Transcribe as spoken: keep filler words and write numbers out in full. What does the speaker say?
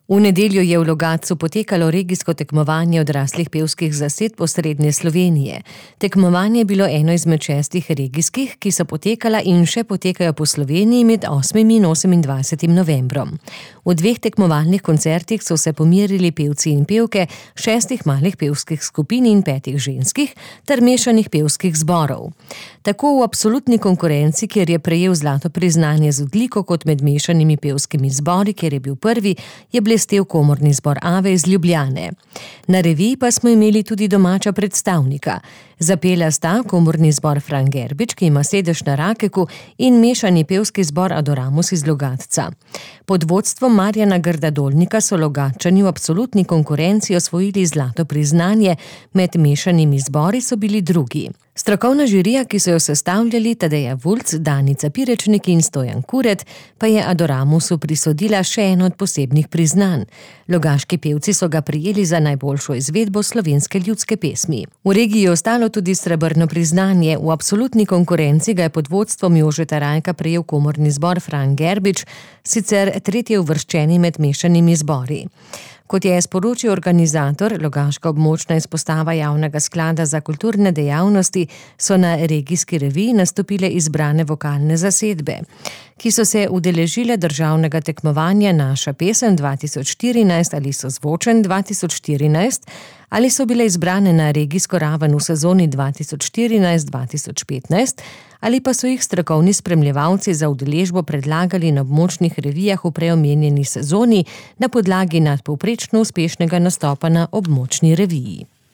V nedeljo je v Logatcu potekalo regijsko tekmovanje odraslih pevskih zasedb Osrednje Slovenije. Tekmovanje je bilo eno izmed šestih regijskih, ki so potekala in še potekajo po Sloveniji med osmim in osemindvajsetim novembrom. V dveh tekmovalnih koncertih so se pomerili pevci in pevke šestih malih pevskih skupin in petih ženskih ter mešanih pevskih zborov. Tako v absolutni konkurenci, kjer je prejel zlato priznanje z odliko kot med mešanimi pevskimi zbori, kjer je bil prvi, je blestel komorni zbor Ave iz Ljubljane. Na reviji pa smo imeli tudi domača predstavnika. Zapela sta komorni zbor Fran Gerbič, ki ima sedež na Rakeku, in mešani pevski zbor Adoramus iz Logatca. Pod vodstvom Marjana Grda-Dolnika so Logatčani v absolutni konkurenci osvojili zlato priznanje, med mešanimi zbori so bili drugi. Strokovna žirija, ki so jo sestavljali Tadeja Vulc, Danica Pirečnik in Stojan Kuret, pa je Adoramusu prisodila še eno od posebnih priznanj. Logaški pevci so ga prijeli za najboljšo izvedbo slovenske ljudske pesmi. V regiji je ostalo tudi srebrno priznanje. V absolutni konkurenci ga je pod vodstvom Jožeta Rajka prejel komorni zbor Fran Gerbič, sicer tretji uvrščeni med mešanimi zbori. Kot je sporočil organizator, Logaška območna izpostava Javnega sklada za kulturne dejavnosti, so na regijski reviji nastopile izbrane vokalne zasedbe, ki so se udeležile državnega tekmovanja Naša pesem dva tisoč štirinajst ali Sozvočen dva tisoč štirinajst, ali so bile izbrane na regijsko raven v sezoni dva tisoč štirinajst dva tisoč petnajst, ali pa so jih strokovni spremljevalci za udeležbo predlagali na območnih revijah v preomenjeni sezoni na podlagi nadpovprečno uspešnega nastopa na območni reviji.